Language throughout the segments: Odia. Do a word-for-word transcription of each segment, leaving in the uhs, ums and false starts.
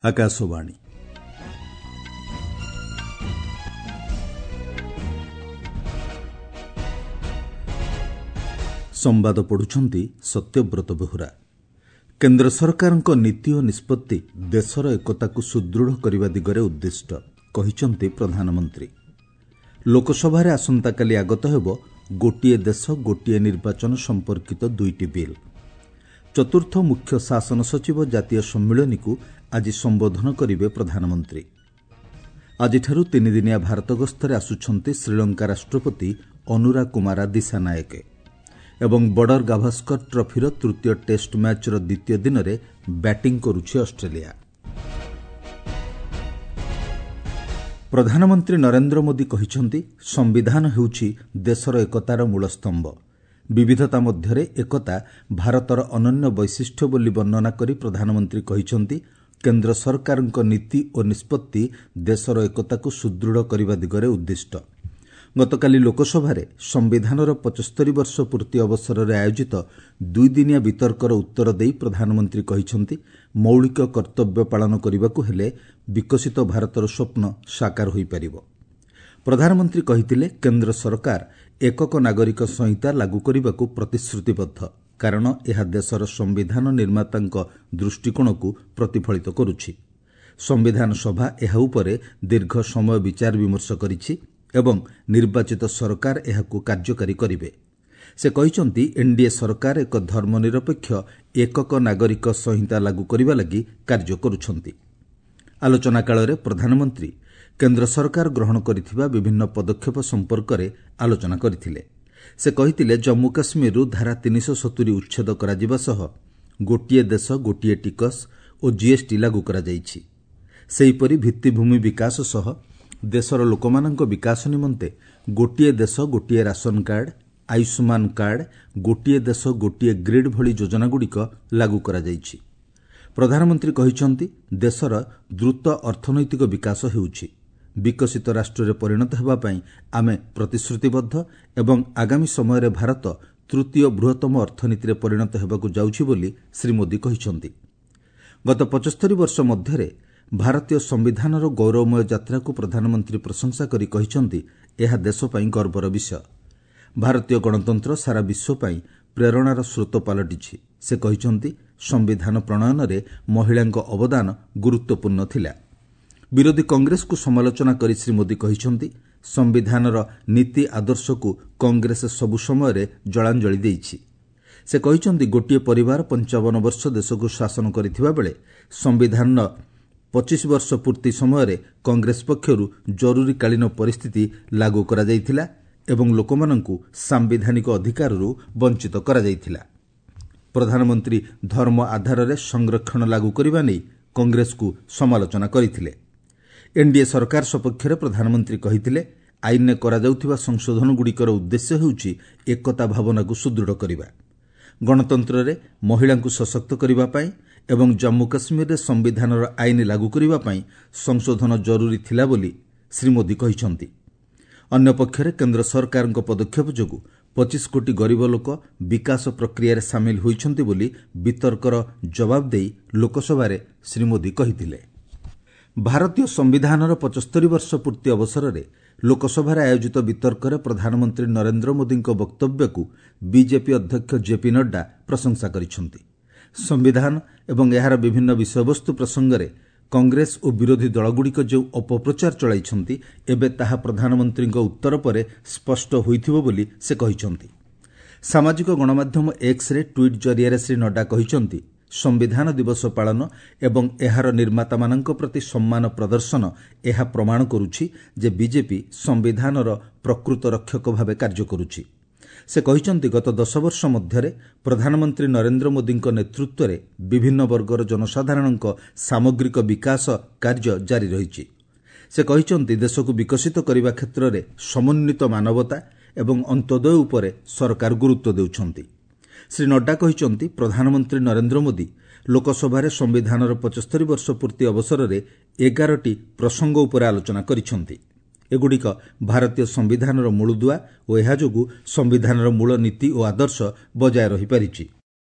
ଆକାଶବାଣୀ। ସମ୍ବାଦ ପଢ଼ୁଛନ୍ତି ସତ୍ୟବ୍ରତ ବେହୁରା। କେନ୍ଦ୍ର ସରକାରଙ୍କ ନୀତି ଓ ନିଷ୍ପତ୍ତି ଦେଶର ଏକତାକୁ ସୁଦୃଢ଼ କରିବା ଦିଗରେ ଉଦ୍ଦିଷ୍ଟ, କହିଛନ୍ତି ପ୍ରଧାନମନ୍ତ୍ରୀ। ଲୋକସଭାରେ ଆସନ୍ତାକାଲି ଆଗତ ହେବ ଗୋଟିଏ ଦେଶ ଗୋଟିଏ ନିର୍ବାଚନ ସମ୍ପର୍କିତ ଦୁଇଟି ବିଲ୍। ଚତୁର୍ଥ ମୁଖ୍ୟ ଶାସନ ସଚିବ ଜାତୀୟ ସମ୍ମିଳନୀକୁ ଆଜି ସମ୍ବୋଧନ କରିବେ ପ୍ରଧାନମନ୍ତ୍ରୀ। ଆଜିଠାରୁ ତିନିଦିନିଆ ଭାରତ ଗସ୍ତରେ ଆସୁଛନ୍ତି ଶ୍ରୀଲଙ୍କା ରାଷ୍ଟ୍ରପତି ଅନୁରା କୁମାରା ଦିଶାନାୟକେ। ଏବଂ ବର୍ଡର ଗାଭାସ୍କର ଟ୍ରଫିର ତୃତୀୟ ଟେଷ୍ଟ ମ୍ୟାଚ୍ର ଦ୍ୱିତୀୟ ଦିନରେ ବ୍ୟାଟିଂ କରୁଛି ଅଷ୍ଟ୍ରେଲିଆ। ପ୍ରଧାନମନ୍ତ୍ରୀ ନରେନ୍ଦ୍ର ମୋଦି କହିଛନ୍ତି, ସମ୍ବିଧାନ ହେଉଛି ଦେଶର ଏକତାର ମୂଳ ସ୍ତମ୍ଭ। ବିବିଧତା ମଧ୍ୟରେ ଏକତା ଭାରତର ଅନନ୍ୟ ବୈଶିଷ୍ଟ୍ୟ ବୋଲି ବର୍ଣ୍ଣନା କରି ପ୍ରଧାନମନ୍ତ୍ରୀ କହିଛନ୍ତି, କେନ୍ଦ୍ର ସରକାରଙ୍କ ନୀତି ଓ ନିଷ୍ପତ୍ତି ଦେଶର ଏକତାକୁ ସୁଦୃଢ଼ କରିବା ଦିଗରେ ଉଦ୍ଦିଷ୍ଟ। ଗତକାଲି ଲୋକସଭାରେ ସମ୍ବିଧାନର ପଞ୍ଚସ୍ତରୀ ବର୍ଷ ପୂର୍ତ୍ତି ଅବସରରେ ଆୟୋଜିତ ଦୁଇଦିନିଆ ବିତର୍କର ଉତ୍ତର ଦେଇ ପ୍ରଧାନମନ୍ତ୍ରୀ କହିଛନ୍ତି, ମୌଳିକ କର୍ତ୍ତବ୍ୟ ପାଳନ କରିବାକୁ ହେଲେ ବିକଶିତ ଭାରତର ସ୍ୱପ୍ନ ସାକାର ହୋଇପାରିବ। ପ୍ରଧାନମନ୍ତ୍ରୀ କହିଥିଲେ, କେନ୍ଦ୍ର ସରକାର ଏକକ ନାଗରିକ ସଂହିତା ଲାଗୁ କରିବାକୁ ପ୍ରତିଶ୍ରୁତିବଦ୍ଧ, କାରଣ ଏହା ଦେଶର ସମ୍ବିଧାନ ନିର୍ମାତାଙ୍କ ଦୃଷ୍ଟିକୋଣକୁ ପ୍ରତିଫଳିତ କରୁଛି। ସମ୍ବିଧାନ ସଭା ଏହା ଉପରେ ଦୀର୍ଘ ସମୟ ବିଚାର ବିମର୍ଶ କରିଛି ଏବଂ ନିର୍ବାଚିତ ସରକାର ଏହାକୁ କାର୍ଯ୍ୟକାରୀ କରିବେ। ସେ କହିଛନ୍ତି, ଏନ୍ଡିଏ ସରକାର ଏକ ଧର୍ମନିରପେକ୍ଷ ଏକକ ନାଗରିକ ସଂହିତା ଲାଗୁ କରିବା ଲାଗି କାର୍ଯ୍ୟ କରୁଛନ୍ତି। ଆଲୋଚନା କାଳରେ ପ୍ରଧାନମନ୍ତ୍ରୀ କେନ୍ଦ୍ର ସରକାର ଗ୍ରହଣ କରିଥିବା ବିଭିନ୍ନ ପଦକ୍ଷେପ ସମ୍ପର୍କରେ ଆଲୋଚନା କରିଥିଲେ। ସେ କହିଥିଲେ, ଜମ୍ମୁ କାଶ୍ମୀରରୁ ଧାରା ତିନିଶହ ସତୁରି ଉଚ୍ଛେଦ କରାଯିବା ସହ ଗୋଟିଏ ଦେଶ ଗୋଟିଏ ଟିକସ ଓ ଜିଏସ୍ଟି ଲାଗୁ କରାଯାଇଛି। ସେହିପରି ଭିତ୍ତିଭୂମି ବିକାଶ ସହ ଦେଶର ଲୋକମାନଙ୍କ ବିକାଶ ନିମନ୍ତେ ଗୋଟିଏ ଦେଶ ଗୋଟିଏ ରାସନ କାର୍ଡ, ଆୟୁଷ୍ମାନ କାର୍ଡ, ଗୋଟିଏ ଦେଶ ଗୋଟିଏ ଗ୍ରୀଡ୍ ଭଳି ଯୋଜନାଗୁଡ଼ିକ ଲାଗୁ କରାଯାଇଛି। ପ୍ରଧାନମନ୍ତ୍ରୀ କହିଛନ୍ତି, ଦେଶର ଦ୍ରୁତ ଅର୍ଥନୈତିକ ବିକାଶ ହେଉଛି। ବିକଶିତ ରାଷ୍ଟ୍ରରେ ପରିଣତ ହେବା ପାଇଁ ଆମେ ପ୍ରତିଶ୍ରୁତିବଦ୍ଧ ଏବଂ ଆଗାମୀ ସମୟରେ ଭାରତ ତୃତୀୟ ବୃହତ୍ତମ ଅର୍ଥନୀତିରେ ପରିଣତ ହେବାକୁ ଯାଉଛି ବୋଲି ଶ୍ରୀ ମୋଦି କହିଛନ୍ତି। ଗତ ପଞ୍ଚସ୍ତରୀ ବର୍ଷ ମଧ୍ୟରେ ଭାରତୀୟ ସମ୍ବିଧାନର ଗୌରବମୟ ଯାତ୍ରାକୁ ପ୍ରଧାନମନ୍ତ୍ରୀ ପ୍ରଶଂସା କରି କହିଛନ୍ତି, ଏହା ଦେଶ ପାଇଁ ଗର୍ବର ବିଷୟ। ଭାରତୀୟ ଗଣତନ୍ତ୍ର ସାରା ବିଶ୍ୱ ପାଇଁ ପ୍ରେରଣାର ସ୍ରୋତ ପାଲଟିଛି। ସେ କହିଛନ୍ତି, ସମ୍ବିଧାନ ପ୍ରଣୟନରେ ମହିଳାଙ୍କ ଅବଦାନ ଗୁରୁତ୍ୱପୂର୍ଣ୍ଣ ଥିଲା। ବିରୋଧୀ କଂଗ୍ରେସକୁ ସମାଲୋଚନା କରି ଶ୍ରୀ ମୋଦି କହିଛନ୍ତି, ସମ୍ବିଧାନର ନୀତି ଆଦର୍ଶକୁ କଂଗ୍ରେସ ସବୁ ସମୟରେ ଜଳାଞ୍ଜଳି ଦେଇଛି। ସେ କହିଛନ୍ତି, ଗୋଟିଏ ପରିବାର ପଞ୍ଚାବନ ବର୍ଷ ଦେଶକୁ ଶାସନ କରିଥିବା ବେଳେ ସମ୍ବିଧାନର ପଚିଶ ବର୍ଷ ପୂର୍ତ୍ତି ସମୟରେ କଂଗ୍ରେସ ପକ୍ଷରୁ ଜରୁରୀକାଳୀନ ପରିସ୍ଥିତି ଲାଗୁ କରାଯାଇଥିଲା ଏବଂ ଲୋକମାନଙ୍କୁ ସାମ୍ବିଧାନିକ ଅଧିକାରରୁ ବଞ୍ଚିତ କରାଯାଇଥିଲା। ପ୍ରଧାନମନ୍ତ୍ରୀ ଧର୍ମ ଆଧାରରେ ସଂରକ୍ଷଣ ଲାଗୁ କରିବା ନେଇ କଂଗ୍ରେସକୁ ସମାଲୋଚନା କରିଥିଲେ। ଏନ୍ଡିଏ ସରକାର ସପକ୍ଷରେ ପ୍ରଧାନମନ୍ତ୍ରୀ କହିଥିଲେ, ଆଇନରେ କରାଯାଉଥିବା ସଂଶୋଧନଗୁଡ଼ିକର ଉଦ୍ଦେଶ୍ୟ ହେଉଛି ଏକତା ଭାବନାକୁ ସୁଦୃଢ଼ କରିବା, ଗଣତନ୍ତ୍ରରେ ମହିଳାଙ୍କୁ ସଶକ୍ତ କରିବା ପାଇଁ ଏବଂ ଜମ୍ମୁ କାଶ୍ମୀରରେ ସମ୍ବିଧାନର ଆଇନ ଲାଗୁ କରିବା ପାଇଁ ସଂଶୋଧନ ଜରୁରୀ ଥିଲା ବୋଲି ଶ୍ରୀ ମୋଦି କହିଛନ୍ତି। ଅନ୍ୟପକ୍ଷରେ କେନ୍ଦ୍ର ସରକାରଙ୍କ ପଦକ୍ଷେପ ଯୋଗୁଁ ପଚିଶ କୋଟି ଗରିବ ଲୋକ ବିକାଶ ପ୍ରକ୍ରିୟାରେ ସାମିଲ ହୋଇଛନ୍ତି ବୋଲି ବିତର୍କର ଜବାବ ଦେଇ ଲୋକସଭାରେ ଶ୍ରୀ ମୋଦି କହିଥିଲେ। ଭାରତୀୟ ସମ୍ବିଧାନର ପଞ୍ଚସ୍ତରୀ ବର୍ଷ ପୂର୍ତ୍ତି ଅବସରରେ ଲୋକସଭାରେ ଆୟୋଜିତ ବିତର୍କରେ ପ୍ରଧାନମନ୍ତ୍ରୀ ନରେନ୍ଦ୍ର ମୋଦିଙ୍କ ବକ୍ତବ୍ୟକୁ ବିଜେପି ଅଧ୍ୟକ୍ଷ ଜେପି ନଡ୍ଡା ପ୍ରଶଂସା କରିଛନ୍ତି। ସମ୍ବିଧାନ ଏବଂ ଏହାର ବିଭିନ୍ନ ବିଷୟବସ୍ତୁ ପ୍ରସଙ୍ଗରେ କଂଗ୍ରେସ ଓ ବିରୋଧୀ ଦଳଗୁଡ଼ିକ ଯେଉଁ ଅପପ୍ରଚାର ଚଳାଇଛନ୍ତି, ଏବେ ତାହା ପ୍ରଧାନମନ୍ତ୍ରୀଙ୍କ ଉତ୍ତର ପରେ ସ୍ପଷ୍ଟ ହୋଇଥିବ ବୋଲି ସେ କହିଛନ୍ତି। ସାମାଜିକ ଗଣମାଧ୍ୟମ ଏକ୍ସରେ ଟ୍ୱିଟ୍ ଜରିଆରେ ଶ୍ରୀ ନଡ୍ଡା କହିଛନ୍ତି, ସମ୍ବିଧାନ ଦିବସ ପାଳନ ଏବଂ ଏହାର ନିର୍ମାତାମାନଙ୍କ ପ୍ରତି ସମ୍ମାନ ପ୍ରଦର୍ଶନ ଏହା ପ୍ରମାଣ କରୁଛି ଯେ ବିଜେପି ସମ୍ବିଧାନର ପ୍ରକୃତ ରକ୍ଷକ ଭାବେ କାର୍ଯ୍ୟ କରୁଛି। ସେ କହିଛନ୍ତି, ଗତ ଦଶ ବର୍ଷ ମଧ୍ୟରେ ପ୍ରଧାନମନ୍ତ୍ରୀ ନରେନ୍ଦ୍ର ମୋଦିଙ୍କ ନେତୃତ୍ୱରେ ବିଭିନ୍ନ ବର୍ଗର ଜନସାଧାରଣଙ୍କ ସାମଗ୍ରିକ ବିକାଶ କାର୍ଯ୍ୟ ଜାରି ରହିଛି। ସେ କହିଛନ୍ତି, ଦେଶକୁ ବିକଶିତ କରିବା କ୍ଷେତ୍ରରେ ସମନ୍ୱିତ ମାନବତା ଏବଂ ଅନ୍ତ୍ୟୋଦୟ ଉପରେ ସରକାର ଗୁରୁତ୍ୱ ଦେଉଛନ୍ତି। ଶ୍ରୀ ନଡ୍ଡା କହିଛନ୍ତି, ପ୍ରଧାନମନ୍ତ୍ରୀ ନରେନ୍ଦ୍ର ମୋଦି ଲୋକସଭାରେ ସମ୍ବିଧାନର ପଞ୍ଚସ୍ତରୀ ବର୍ଷ ପୂର୍ତ୍ତି ଅବସରରେ ଏଗାରଟି ପ୍ରସଙ୍ଗ ଉପରେ ଆଲୋଚନା କରିଛନ୍ତି। ଏଗୁଡ଼ିକ ଭାରତୀୟ ସମ୍ବିଧାନର ମୂଳଦୁଆ ଓ ଏହା ଯୋଗୁଁ ସମ୍ବିଧାନର ମୂଳ ନୀତି ଓ ଆଦର୍ଶ ବଜାୟ ରହିପାରିଛି।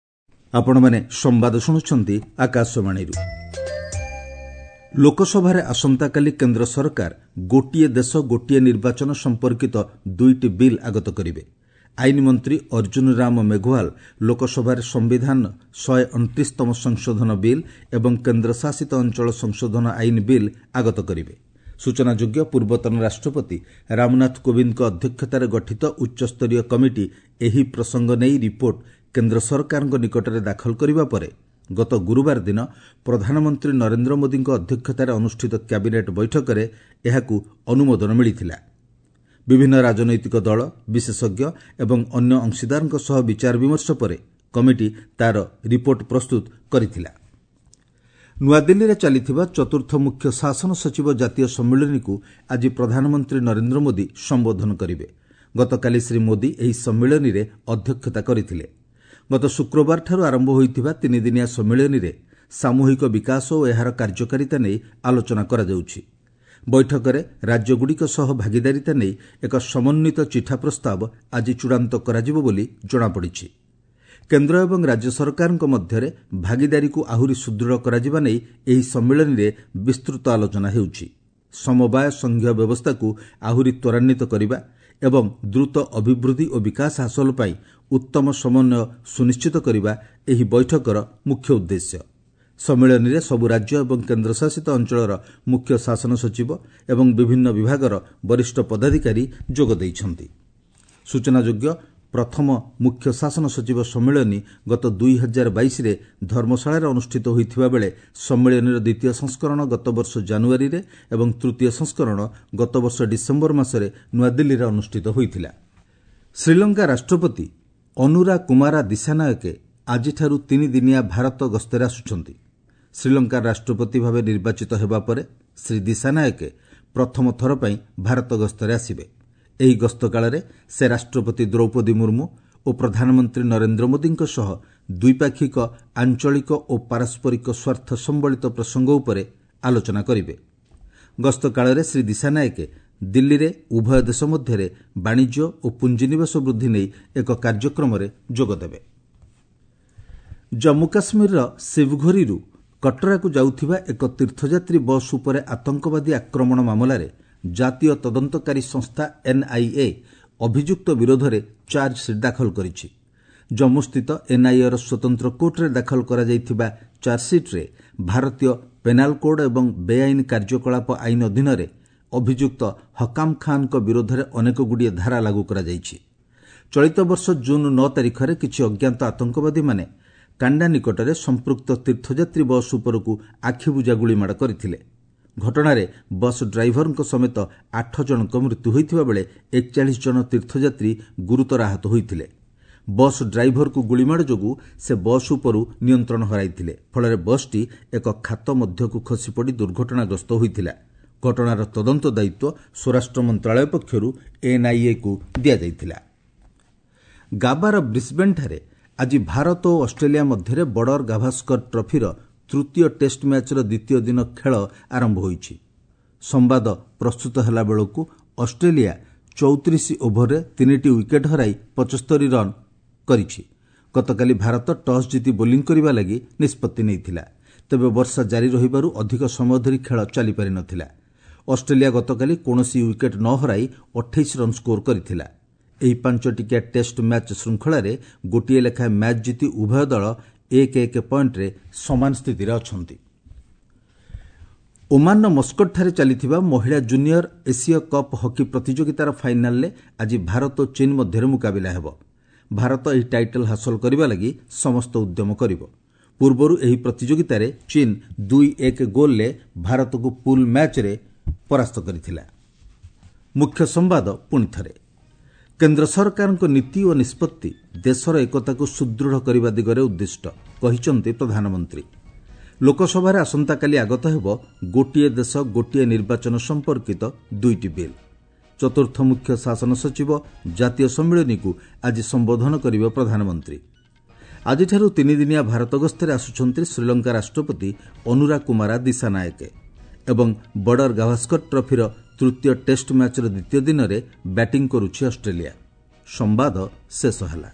ଆପଣମାନେ ସମ୍ବାଦ ଶୁଣୁଛନ୍ତି ଆକାଶବାଣୀରୁ। ଲୋକସଭାରେ ଆସନ୍ତାକାଲି କେନ୍ଦ୍ର ସରକାର ଗୋଟିଏ ଦେଶ ଗୋଟିଏ ନିର୍ବାଚନ ସମ୍ପର୍କିତ ଦୁଇଟି ବିଲ୍ ଆଗତ କରିବେ। ଆଇନ ମନ୍ତ୍ରୀ ଅର୍ଜୁନ ରାମ ମେଘୱାଲ ଲୋକସଭାରେ ସମ୍ବିଧାନ ଶହେ ଅଣତିରିଶତମ ସଂଶୋଧନ ବିଲ୍ ଏବଂ କେନ୍ଦ୍ରଶାସିତ ଅଞ୍ଚଳ ସଂଶୋଧନ ଆଇନ ବିଲ୍ ଆଗତ କରିବେ। ସୂଚନାଯୋଗ୍ୟ, ପୂର୍ବତନ ରାଷ୍ଟ୍ରପତି ରାମନାଥ କୋବିନ୍ଦଙ୍କ ଅଧ୍ୟକ୍ଷତାରେ ଗଠିତ ଉଚ୍ଚସ୍ତରୀୟ କମିଟି ଏହି ପ୍ରସଙ୍ଗ ନେଇ ରିପୋର୍ଟ କେନ୍ଦ୍ର ସରକାରଙ୍କ ନିକଟରେ ଦାଖଲ କରିବା ପରେ ଗତ ଗୁରୁବାର ଦିନ ପ୍ରଧାନମନ୍ତ୍ରୀ ନରେନ୍ଦ୍ର ମୋଦିଙ୍କ ଅଧ୍ୟକ୍ଷତାରେ ଅନୁଷ୍ଠିତ କ୍ୟାବିନେଟ୍ ବୈଠକରେ ଏହାକୁ ଅନୁମୋଦନ ମିଳିଥିଲା। ବିଭିନ୍ନ ରାଜନୈତିକ ଦଳ, ବିଶେଷଜ୍ଞ ଏବଂ ଅନ୍ୟ ଅଂଶୀଦାରଙ୍କ ସହ ବିଚାର ବିମର୍ଶ ପରେ କମିଟି ତା'ର ରିପୋର୍ଟ ପ୍ରସ୍ତୁତ କରିଥିଲା। ନୂଆଦିଲ୍ଲୀରେ ଚାଲିଥିବା ଚତୁର୍ଥ ମୁଖ୍ୟ ଶାସନ ସଚିବ ଜାତୀୟ ସମ୍ମିଳନୀକୁ ଆଜି ପ୍ରଧାନମନ୍ତ୍ରୀ ନରେନ୍ଦ୍ର ମୋଦି ସମ୍ବୋଧନ କରିବେ। ଗତକାଲି ଶ୍ରୀ ମୋଦି ଏହି ସମ୍ମିଳନୀରେ ଅଧ୍ୟକ୍ଷତା କରିଥିଲେ। ଗତ ଶୁକ୍ରବାରଠାରୁ ଆରମ୍ଭ ହୋଇଥିବା ତିନିଦିନିଆ ସମ୍ମିଳନୀରେ ସାମୂହିକ ବିକାଶ ଓ ଏହାର କାର୍ଯ୍ୟକାରିତା ନେଇ ଆଲୋଚନା କରାଯାଉଛି। ବୈଠକରେ ରାଜ୍ୟଗୁଡ଼ିକ ସହ ଭାଗିଦାରିତା ନେଇ ଏକ ସମନ୍ୱିତ ଚିଠା ପ୍ରସ୍ତାବ ଆଜି ଚୂଡ଼ାନ୍ତ କରାଯିବ ବୋଲି ଜଣାପଡ଼ିଛି। କେନ୍ଦ୍ର ଏବଂ ରାଜ୍ୟ ସରକାରଙ୍କ ମଧ୍ୟରେ ଭାଗିଦାରୀକୁ ଆହୁରି ସୁଦୃଢ଼ କରାଯିବା ନେଇ ଏହି ସମ୍ମିଳନୀରେ ବିସ୍ତୃତ ଆଲୋଚନା ହେଉଛି। ସମବାୟ ସଂଘୀୟ ବ୍ୟବସ୍ଥାକୁ ଆହୁରି ତ୍ୱରାନ୍ୱିତ କରିବା ଏବଂ ଦ୍ରୁତ ଅଭିବୃଦ୍ଧି ଓ ବିକାଶ ହାସଲ ପାଇଁ ଉତ୍ତମ ସମନ୍ୱୟ ସୁନିଶ୍ଚିତ କରିବା ଏହି ବୈଠକର ମୁଖ୍ୟ ଉଦ୍ଦେଶ୍ୟ। ସମ୍ମିଳନୀରେ ସବୁ ରାଜ୍ୟ ଏବଂ କେନ୍ଦ୍ରଶାସିତ ଅଞ୍ଚଳର ମୁଖ୍ୟ ଶାସନ ସଚିବ ଏବଂ ବିଭିନ୍ନ ବିଭାଗର ବରିଷ୍ଠ ପଦାଧିକାରୀ ଯୋଗ ଦେଇଛନ୍ତି। ସୂଚନାଯୋଗ୍ୟ, ପ୍ରଥମ ମୁଖ୍ୟ ଶାସନ ସଚିବ ସମ୍ମିଳନୀ ଗତ ଦୁଇ ହଜାର ବାଇଶରେ ଧର୍ମଶାଳାରେ ଅନୁଷ୍ଠିତ ହୋଇଥିବା ବେଳେ ସମ୍ମିଳନୀର ଦ୍ୱିତୀୟ ସଂସ୍କରଣ ଗତବର୍ଷ ଜାନୁଆରୀରେ ଏବଂ ତୃତୀୟ ସଂସ୍କରଣ ଗତବର୍ଷ ଡିସେମ୍ବର ମାସରେ ନୂଆଦିଲ୍ଲୀରେ ଅନୁଷ୍ଠିତ ହୋଇଥିଲା। ଶ୍ରୀଲଙ୍କା ରାଷ୍ଟ୍ରପତି ଅନୁରା କୁମାରା ଦିଶାନାୟକେ ଆଜିଠାରୁ ତିନିଦିନିଆ ଭାରତ ଗସ୍ତରେ ଆସୁଛନ୍ତି। ଶ୍ରୀଲଙ୍କାର ରାଷ୍ଟ୍ରପତି ଭାବେ ନିର୍ବାଚିତ ହେବା ପରେ ଶ୍ରୀ ଦିଶାନାୟକେ ପ୍ରଥମ ଥର ପାଇଁ ଭାରତ ଗସ୍ତରେ ଆସିବେ। ଏହି ଗସ୍ତ କାଳରେ ସେ ରାଷ୍ଟ୍ରପତି ଦ୍ରୌପଦୀ ମୁର୍ମୁ ଓ ପ୍ରଧାନମନ୍ତ୍ରୀ ନରେନ୍ଦ୍ର ମୋଦିଙ୍କ ସହ ଦ୍ୱିପାକ୍ଷିକ, ଆଞ୍ଚଳିକ ଓ ପାରସ୍ପରିକ ସ୍ୱାର୍ଥ ସମ୍ବଳିତ ପ୍ରସଙ୍ଗ ଉପରେ ଆଲୋଚନା କରିବେ। ଗସ୍ତ କାଳରେ ଶ୍ରୀ ଦିଶାନାୟକେ ଦିଲ୍ଲୀରେ ଉଭୟ ଦେଶ ମଧ୍ୟରେ ବାଣିଜ୍ୟ ଓ ପୁଞ୍ଜିନିବେଶ ବୃଦ୍ଧି ନେଇ ଏକ କାର୍ଯ୍ୟକ୍ରମରେ ଯୋଗଦେବେ। ଜମ୍ମୁ କାଶ୍ମୀରର ଶିବଘୋରୀରୁ କଟରାକୁ ଯାଉଥିବା ଏକ ତୀର୍ଥଯାତ୍ରୀ ବସ୍ ଉପରେ ଆତଙ୍କବାଦୀ ଆକ୍ରମଣ ମାମଲାରେ ଜାତୀୟ ତଦନ୍ତକାରୀ ସଂସ୍ଥା ଏନ୍ଆଇଏ ଅଭିଯୁକ୍ତ ବିରୋଧରେ ଚାର୍ଜସିଟ୍ ଦାଖଲ କରିଛି। ଜମ୍ମୁସ୍ଥିତ ଏନ୍ଆଇଏର ସ୍ୱତନ୍ତ୍ର କୋର୍ଟରେ ଦାଖଲ କରାଯାଇଥିବା ଚାର୍ଜସିଟ୍ରେ ଭାରତୀୟ ପେନାଲ କୋଡ୍ ଏବଂ ବେଆଇନ କାର୍ଯ୍ୟକଳାପ ଆଇନ ଅଧୀନରେ ଅଭିଯୁକ୍ତ ହକାମ ଖାନ୍ଙ୍କ ବିରୋଧରେ ଅନେକଗୁଡ଼ିଏ ଧାରା ଲାଗୁ କରାଯାଇଛି। ଚଳିତ ବର୍ଷ ଜୁନ୍ ନଅ ତାରିଖରେ କିଛି ଅଜ୍ଞାତ ଆତଙ୍କବାଦୀମାନେ କାଣ୍ଡା ନିକଟରେ ସମ୍ପୃକ୍ତ ତୀର୍ଥଯାତ୍ରୀ ବସ୍ ଉପରକୁ ଆଖିବୁଜା ଗୁଳିମାଡ଼ କରିଥିଲେ। ଘଟଣାରେ ବସ୍ ଡ୍ରାଇଭରଙ୍କ ସମେତ ଆଠ ଜଣଙ୍କ ମୃତ୍ୟୁ ହୋଇଥିବା ବେଳେ ଏକଚାଳିଶ ଜଣ ତୀର୍ଥଯାତ୍ରୀ ଗୁରୁତର ଆହତ ହୋଇଥିଲେ। ବସ୍ ଡ୍ରାଇଭରକୁ ଗୁଳିମାଡ଼ ଯୋଗୁଁ ସେ ବସ୍ ଉପରୁ ନିୟନ୍ତ୍ରଣ ହରାଇଥିଲେ। ଫଳରେ ବସ୍ଟି ଏକ ଖାତ ମଧ୍ୟକୁ ଖସିପଡ଼ି ଦୁର୍ଘଟଣାଗ୍ରସ୍ତ ହୋଇଥିଲା। ଘଟଣାର ତଦନ୍ତ ଦାୟିତ୍ୱ ସ୍ୱରାଷ୍ଟ୍ର ମନ୍ତ୍ରଣାଳୟ ପକ୍ଷରୁ ଏନ୍ଆଇଏକୁ ଦିଆଯାଇଥିଲା। ଗାବାର ବ୍ରିସ୍ବେନ୍ଠାରେ ଆଜି ଭାରତ ଓ ଅଷ୍ଟ୍ରେଲିଆ ମଧ୍ୟରେ ବର୍ଡର ଗାଭାସ୍କର ଟ୍ରଫିର ତୃତୀୟ ଟେଷ୍ଟ ମ୍ୟାଚ୍ର ଦ୍ୱିତୀୟ ଦିନ ଖେଳ ଆରମ୍ଭ ହୋଇଛି। ସମ୍ବାଦ ପ୍ରସ୍ତୁତ ହେଲା ବେଳକୁ ଅଷ୍ଟ୍ରେଲିଆ ଚଉତିରିଶ ଓଭରରେ ତିନିଟି ୱିକେଟ୍ ହରାଇ ପଞ୍ଚସ୍ତରୀ ରନ୍ କରିଛି। ଗତକାଲି ଭାରତ ଟସ୍ ଜିତି ବୋଲିଂ କରିବା ଲାଗି ନିଷ୍ପତ୍ତି ନେଇଥିଲା। ତେବେ ବର୍ଷା ଜାରି ରହିବାରୁ ଅଧିକ ସମୟ ଧରି ଖେଳ ଚାଲିପାରିନଥିଲା। ଅଷ୍ଟ୍ରେଲିଆ ଗତକାଲି କୌଣସି ୱିକେଟ୍ ନ ହରାଇ ଅଠେଇଶ ରନ୍ ସ୍କୋର କରିଥିଲା। ଏହି ପାଞ୍ଚଟିକିଆ ଟେଷ୍ଟ ମ୍ୟାଚ୍ ଶୃଙ୍ଖଳାରେ ଗୋଟିଏ ଲେଖାଏଁ ମ୍ୟାଚ୍ ଜିତି ଉଭୟ ଦଳ ଏକ ଏକ ପଏଣ୍ଟରେ ସମାନ ସ୍ଥିତିରେ ଅଛନ୍ତି। ଓମାନର ମସ୍କଟଠାରେ ଚାଲିଥିବା ମହିଳା ଜୁନିୟର ଏସୀୟ କପ୍ ହକି ପ୍ରତିଯୋଗିତାର ଫାଇନାଲରେ ଆଜି ଭାରତ ଓ ଚୀନ୍ ମଧ୍ୟରେ ମୁକାବିଲା ହେବ। ଭାରତ ଏହି ଟାଇଟଲ୍ ହାସଲ କରିବା ଲାଗି ସମସ୍ତ ଉଦ୍ୟମ କରିବ। ପୂର୍ବରୁ ଏହି ପ୍ରତିଯୋଗିତାରେ ଚୀନ୍ ଦୁଇ ଏକ ଗୋଲ୍ରେ ଭାରତକୁ ପୁଲ୍ ମ୍ୟାଚ୍ରେ ପରାସ୍ତ କରିଥିଲା। ମୁଖ୍ୟ ସମ୍ବାଦ ପୁଣିଥରେ, କେନ୍ଦ୍ର ସରକାରଙ୍କ ନୀତି ଓ ନିଷ୍ପତ୍ତି ଦେଶର ଏକତାକୁ ସୁଦୃଢ଼ କରିବା ଦିଗରେ ଉଦ୍ଦିଷ୍ଟ, କହିଛନ୍ତି ପ୍ରଧାନମନ୍ତ୍ରୀ। ଲୋକସଭାରେ ଆସନ୍ତାକାଲି ଆଗତ ହେବ ଗୋଟିଏ ଦେଶ ଗୋଟିଏ ନିର୍ବାଚନ ସମ୍ପର୍କିତ ଦୁଇଟି ବିଲ୍। ଚତୁର୍ଥ ମୁଖ୍ୟ ଶାସନ ସଚିବ ଜାତୀୟ ସମ୍ମିଳନୀକୁ ଆଜି ସମ୍ବୋଧନ କରିବେ ପ୍ରଧାନମନ୍ତ୍ରୀ। ଆଜିଠାରୁ ତିନିଦିନିଆ ଭାରତ ଗସ୍ତରେ ଆସୁଛନ୍ତି ଶ୍ରୀଲଙ୍କା ରାଷ୍ଟ୍ରପତି ଅନୁରା କୁମାରା ଦିଶାନାୟକେ ଏବଂ ବର୍ଡର ଗାଭାସ୍କର ଟ୍ରଫିର ତୃତୀୟ ଟେଷ୍ଟ ମ୍ୟାଚ୍ର ଦ୍ୱିତୀୟ ଦିନରେ ବ୍ୟାଟିଂ କରୁଛି ଅଷ୍ଟ୍ରେଲିଆ। ସମ୍ବାଦ ଶେଷ ହେଲା।